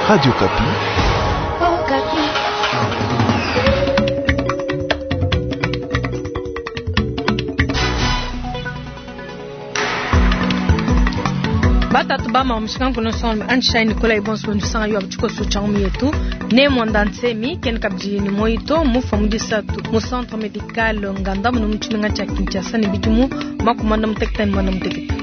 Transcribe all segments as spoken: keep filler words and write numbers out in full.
Radio Okapi. Oh, Batatu bama mushikangu nosongo anshai Nicolas Ibonso nusanga yo abchiko changu yetu ne mwanda nsemi ken kabji ni moito mufa mudisatu mu centre médical nganda mu muchimenga cha Kinshasa ne bidimu makumanda muteketa ni mwanda muteketa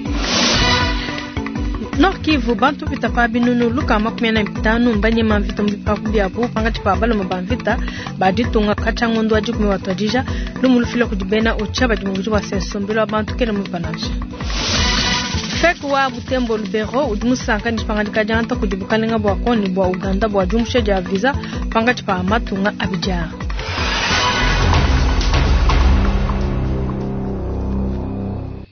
Nord Kivu bantu pita pa binunu luka makumi ana bitanu mbanyema mvita mu byabu pangathi pa baloma ba mvita baditunga kathangondo wa dikumi watwadija lumulufila kudibena ocha badi mu bua sensombelo abantu kene mu panasha Fek wa Butembo Lubero udi musanka ni pangadika dianta kudi bukalenga bua koni bua Uganda bua diumusha dia visa pangathi pa matunga abidjan.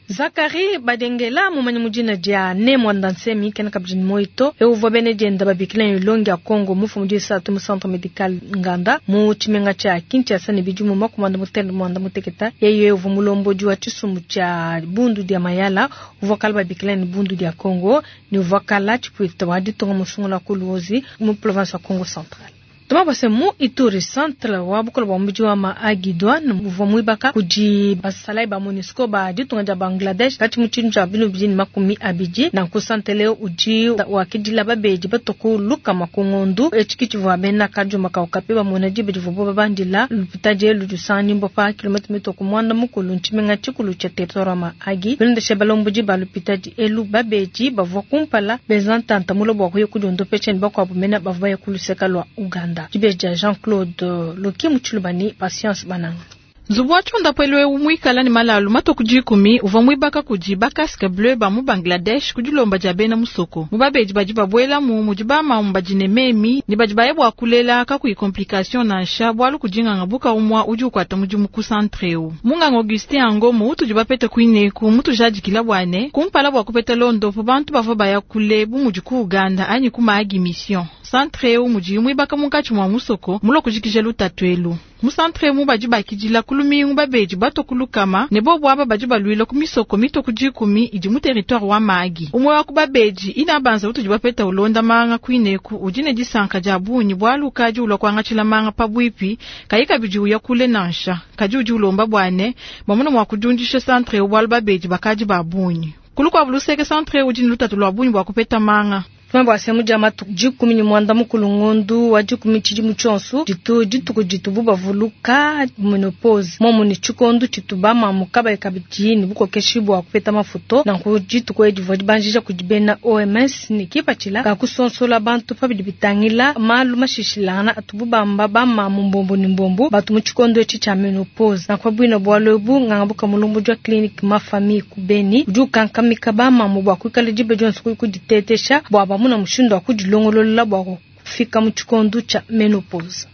Zakari Badengela mumanyi mudina dia ne mwanda nsemi kena kabidi moito euvua bene dienda babikila ilongi ya Congo mufu mudi satu mu centre médical Nganda mu tshimenga tshia Kinshasa ne bidimu makumanda mutende mwanda muteketa yeye uvua mulombodi wa tshisumbu tshia bundu dia Mayala uvua kala babikila ni bundu dia Congo ni uvua kala tshipuita wa ditunga musungula ku Luozi mu province ya Congo Central. Tuma mu Ituri centre wa bukola bua mubidi wa Maagidwan uvua muibaka kudi basalai ba MONUSCO ba ditunga dia Bangladesh kati mu tshintu tshia binu bidi ne makumi abidi nanku santre udi wakidila babedi batuku lukama ku ngondu etshi tshivua bena kadiuma kaukapi bamona diba divuabu babandila lupitadi elu lusanganyibua pa kilomètre mitoku muanda mukulu ntshimenga tshikulu tshia territoire wa Mahagi bilondeshe balombodi ba lupitadi elu babedi bavua kumpala benza ntanta mula bua kuya kudiondopesha ne bakuabu mena bavua baya ku luseka lua Uganda. Dibeji Jean-Claude Loki Mutshilubani Patience Bananga. Nzubu wa tshiondapu eu muikala ne malalu matoku dikumi uvua muibaka kudi ba casque bleu ba mu Bangladesh ku dilomba dia bena musoko. Mu babedi badi babuelamu mudi bamamu badi ne memi ne badi baye bua kulela kakuyi complication nansha bualu kudinganga buka umua udi ukuata mudimu ku centre eu. Munganga Augustin Angomo utudi bapete kuineku mutujadikila bua ne kumpala bua kupeta londopo bantu bavua baya kule bu mudi ku Uganda anyi ku Mahagi Mission. Centre eu mudi muibaka munkatshi mua musoko mulua kujikija lutatu elu. Mu centre mu badi bakidila ku lumingu babedi bato ku lukama ne bobu aba badi baluila ku misoko mito ku dikumi idi mu territoire wa Mahagi. Umue wa ku babedi ina banza utudi bapeta ulonda manga kuineku udi ne disanka dia bungi bualu ukadi ulua kuangatshila manga pabuipi kayi kabidi uya kule nansha kadi udi ulomba bua ne bamona mua kudiundisha centre eu bualu babedi bakadi ba bungi. Kulukuabu luseke centre udi ne lutatu lua bungi bua kupeta manga. Tumwe semu dia matuku dikumi ne muanda mukulu ngondu wa dikumi tshidimu tshionso ditu dituku ditubu bavuluka menopause momu ne tshikondu tshitu bamamu kabayi kabidi ne bukokeshi bua kupeta mafuto nanku dituku edi divua dibanjija kudi bena OMS ne kipatshila ka kusonsola bantu pabidi bitangila malu mashishilangana atubu bamba bamamu mbombo ne mbombo batu mu tshikondo etshi tshia menopause nanku buina bualu ebu nganga buka mulombo wa clinique ma famille ku Beni udi ukankamika bamamu bua kuikala diba dionso kuditetesha bua bamuna mushindu wa kudilongolola bua kufika mu tshikondo tshia menopause.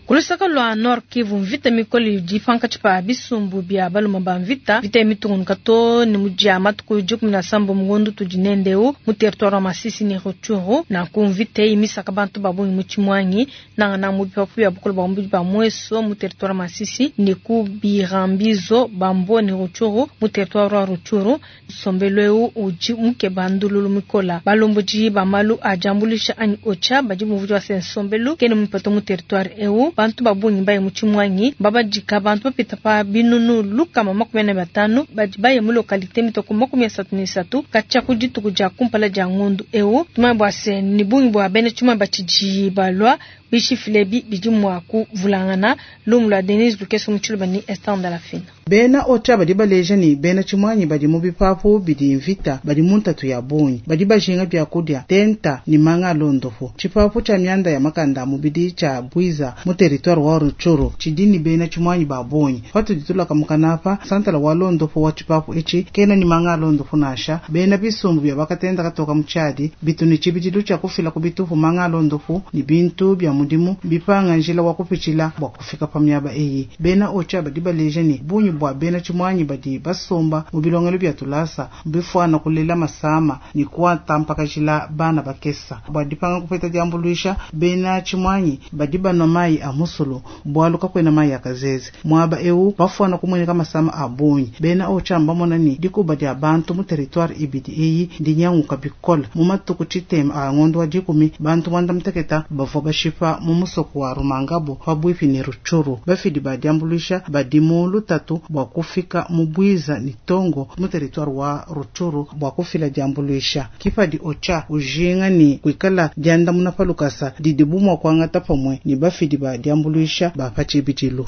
Kulusaka lua Nord Kivu mvita mikole idi pankatshi pa bisumbu bia baluma ba mvita vita mitungunuka to ne mudia matuku dikumi na sambo mungondu tudi nendeu mu territoire wa Masisi ne Rutshuru nanku mvita eyi misaka bantu ba bungi mu Tshimuangi nanga na mu bipapu bia bukolo bwa mubidi ba Mweso mu territoire wa Masisi ne ku Birambizo Bambo ne Rutshuru mu territoire wa Rutshuru sombelo eu udi mukeba ndululu mikola balombodi ba malu a diambulisha anyi ocha badi muvudi wa sensombelo kene mupato mu territoire eu bantu babungi baye mu Tshimuangi babadika bantu bapita pa binunu lukama makumi ane batanu badi baye mu localité mitoko makumi asatu ne isatu katshia ku dituku dia kumpala dia ngondu eu tumanye bua se ni bungi bua bena Tshimuangi batshidi balua bishifile bi bidi mua kuvulangana lumu lua Denise Lukeso mu Tshiluba ni Esther Ndalafina. Bena ocha badi baleja ni bena Tshimuangi badi mu bipapu bidi mvita badi mu ntatu ya bungi badi bajinga bia kudia tenta ni manga londopo tshipapu tshia mianda ya makanda mubidi tshia Bwiza mu territoire wa Rutshuru tshidi ni bena Tshimuangi ba bungi patudi tulaka mukanapa santala wa londopo wa tshipapu etshi kena ni manga londopo nasha bena bisumbu bia bakatenda katoka mu tshiadi bitu ni tshibidilu tshia kufila ku bitupu manga londopo ni bintu bia mudimu bipanga njila wa kupitshila bua kufika pa miaba eyi. Bena OCHA badi baleja ne bungi bua bena tshimuangi badi basomba mu bilongelu bia tulasa bifuana kulela masama ne kuatampakajila bana bakesa. Bua dipanga kupeta diambuluisha, bena tshimuangi badi banua mayi a musulu bualu kakuena mayi a kazeze. Muaba eu bafuana kumueneka masama a bungi. Bena OCHA mbamona ne dikuba dia bantu mu territoire ibidi eyi ndinyanguka bikola. Mu matuku tshitema a ngondo wa dikumi, bantu muanda muteketa bavua bashipa mu musoko wa Rumangabo pabuipi ne Rutshuru. Bafidi ba diambuluisha badi mu lutatu bua kufika mu Bwiza ne Tongo mu territoire wa Rutshuru bua kufila diambuluisha. Ke padi OCHA ujinga ne kuikala diandamuna pa lukasa didibu mua kuangata pamue ne bafidi ba diambuluisha ba pa tshibidilu.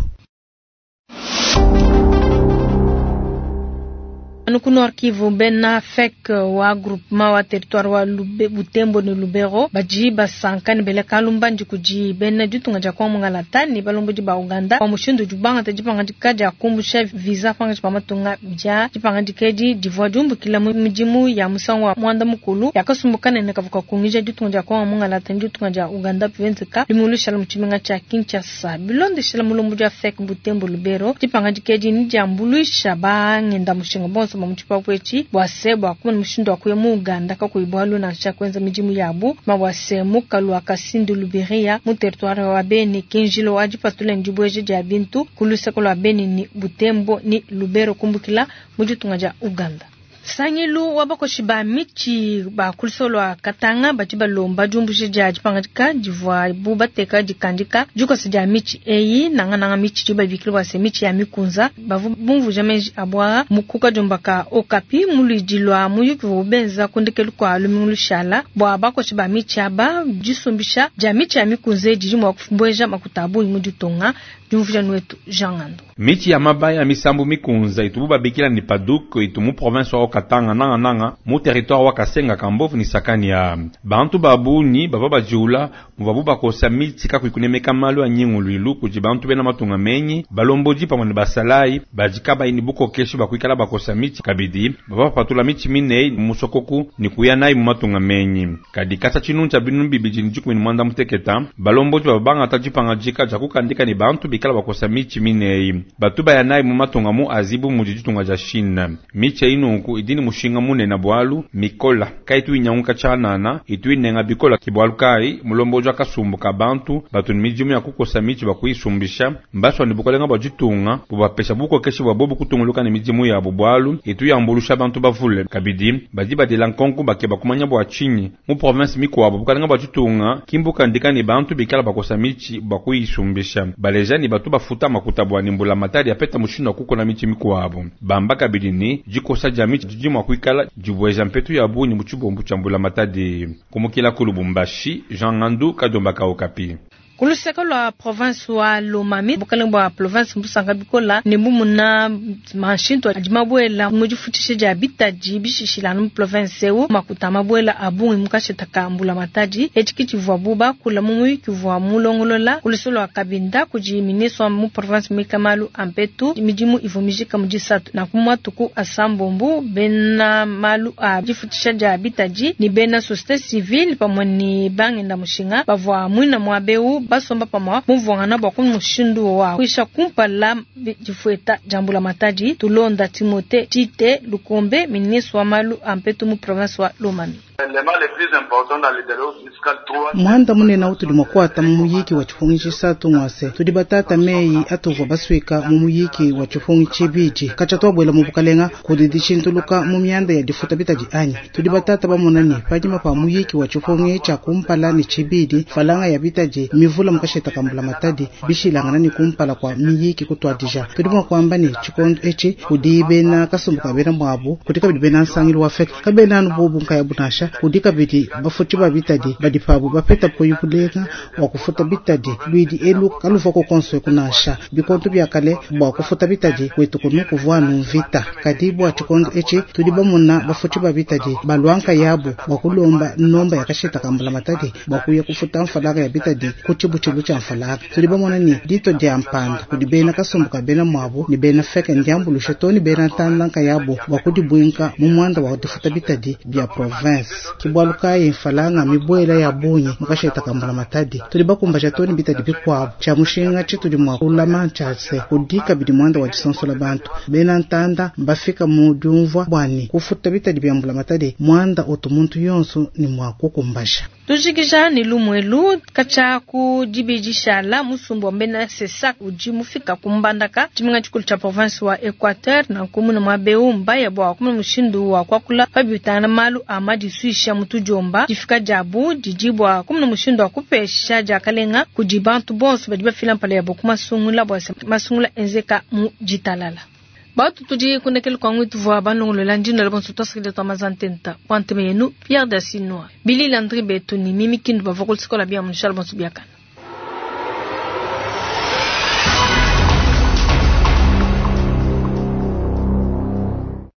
Anu ku Nord Kivu, bena FEC wa groupement wa territoire wa Lube, Butembo ne Lubero badi basanka ne bela kalumbandi kudi bena ditunga dia Kongo Mungalata ne balombodi ba Uganda bua mushindu udi bangata dipangadika dia kumbusha visa pankatshi pa matunga dia dipangadika edi divua diumbukila mu midimu ya musangu wa muanda mukulu ya kasumbu kanene kavua kakungija ditunga dia Kongo Mungalata ne ditunga dia Uganda bivenzeka limulushala mu tshimenga tshia Kinshasa. Bilondeshela mulombodi wa FEC Butembo Lubero, dipangadika edi ndiambuluisha bangenda mushinga bonso ba mu tshipapu etshi bua se bua kumona mushindu wa kuya mu Uganda kakuyi bualu nansha kuenza midimu yabu ma bua se mukalu wa Kasindi Luberia mu territoire wa Beni kinjilo wa dipatula ne dibueja dia bintu ku luseke lua Beni ni Butembo ni Lubero kumbukila mu ditunga dia Uganda. Sangilu wa bakoshi ba michi ba ku luseke lua Katanga badi balomba diumbusha dia dipangadika divua bu bateka dikandika dikosa dia michi eyi nangananga michi di babikila bua se michi ya mikunza bavu bumvuja meji abwa mu kukadiomba ka Okapi mu luidi lua muyuki wa benza kundekelu kua lumingu lushala bua bakoshi ba michi aba disumbisha dia michi ya mikunza didi mua kubueja makuta a bungi mu ditunga. Diumvuja nuetu Jean Ngando. Michi ya mabaya misambu mikunza itubu babikila ni paduk itu mu province wa Katanga nanga nanga mu territoire wa Kasenga Kambovu ni sakani ya bantu babuni bava bajiula mubabu bakosa michi kakuikunemeka malu a nyinguluilu kudi bantu bena matunga menyi balomboji pamwe ne basalai bajikaba ini bukokeshi bakuikala bakosa michi kabidi bava bapatula michi minei musokoku ni kuya nayi mu matunga menyi kadi kasa tshinu tshia binu bibidi ni dikumi ni mwanda muteketa balomboji baba bangata dipanga dika dia kukandika ni bantu bikala bakosa michi minei batu baya nayi mu matunga mu azibu mudi ditunga dia Chine michi eyi nunku idi ni mushinga munene bualu mikola kaitu inyanguka tshianana itu inenga bikola ki bualu kai mulomboji wa kasumbu ka bantu batu ni midimu ya kukosa michi bakuyisumbisha mbaswa ni bukalenga bua ditunga bubapesha bukokeshi bua bobu kutunguluka ne midimu yabu bualu itu yambulusha bantu bavule kabidi badi badela nkonko bakeba kumanya bua tshinyi mu province mikuabu bukalenga bua ditunga kimbukandika ni bantu bikala bakosa michi bakuyisumbisha baleja ni batu bafuta makuta bua ni mbula matadi apeta mushindu wa kukona michi mikuabu bamba kabidi ni dikosa dia michi didi mua kuikala dibueja mpetu ya bungi mu tshibombu tshia mbula matadi kumukila ku Lubumbashi Jean Ngandu Kadomba ka Okapi. Ku luseke lua province wa Lomami bukalenga bua province mbusanga bikola ne bumuna mashintu adi mabuela mu difutshisha dia bitadi bishishilana mu province eu makuta mabuela a bungi mu kasheta ka mbula matadi etshi ke tshivuabu bakula mu muyuki uvua mulongolola ku luseke lua Kabinda kudi ministre wa mu province muika malu a mpetu midimu ivua mijika mu disatu nanku mu matuku asambombo bena malu a difutshisha dia bitadi ne bena société civile pamue ne bangenda mushinga bavua muina muaba eu basomba pamue mumvuangana bua ku mushindu wa kuisha kumpala difueta dia mbula matadi tulonda Timothée Tite Lukombe ministre wa malu a mpetu mu province wa Lomami. Muanda munene utudi mua kuata mu muyiki wa tshipungi tshisatu ngwase tudi batata meyi atuvua baswika mu muyiki wa tshipungi tshibidi katshia tuabuela mu bukalenga kudi dishintuluka mu mianda ya difuta bitadi anyi tudi batata bamona ne panyima pa muyiki wa tshipungi tshia kumpala ne tshibidi falanga ya bitadi mivula mu kasheta ka mbula matadi bishilangana ne kumpala kua miyiki kutuadija tudi mua kuamba ne tshikondo etshi kudi bena kasumbu ka bena muabu kudi kabidi bena nsangilu wa FEC kabena anu bobu nkayabu nansha kudi kabidi bafuti ba bitadi badi pabu bapeta poyi bulenga wa kufuta bitadi luidi elu kaluvua kukonso kunansha bikondo bia kale bua kufuta bitadi kwetu kunu kuvua anu mvita kadi bua tshikondo etshi tudi bamona bafuti ba bitadi balua nkayabu bua kulomba nomba ya kasheta ka mbula matadi bua kuya kufuta mfalaka ya bitadi ku tshibutshilu tshia mfalaka tudi bamona ne dito dia mpanda kudi bena kasumbu ka bena muabu ne bena FEC ndiambulusha to ne bena ntanda nkayabu bua kudibuinka mu muanda wa difuta bitadi bia province. makese. Ke bualu kayi mfranga mmibuela ya bungi mu kasheta ka mbulamatadi. Tudi bakumbaja too ne bitadi bikuabu. Tshia mushinga tshitudi mua kulama ntshia se, kudi kabidi muanda wa disonsola bantu. Bena ntanda mbafika mu diumvua bua ne, kufuta bitadi bia mbulamatadi mmuanda utu muntu yonso ne mua kukumbaja. Tujikija ne lumu elu katshia ku dibidishala musumba wa bena CSAC udi mufika ku Mbandaka tshimenga tshikulu tshia province wa Equateur nanku muna muaba mbaya bua kumona mushindu wa kuakula pa bitangana malu a madisuisha mu tudiomba. Difika diabu didi bua kumona mushindu wa kupesha diakalenga kudi bantu bonso badi bafila mpala yabo ku masungula bua se masungula enzeka mu ditalala. Batu tudi kundekele kwangu tuvua balongolola ndino la bonso twasakidila twa mazantenta bua ntema yenu Pierre Dasinwa Billy Landry Betu ni Mimi Kindu bavua ku sikola bia mushala bonso biakana.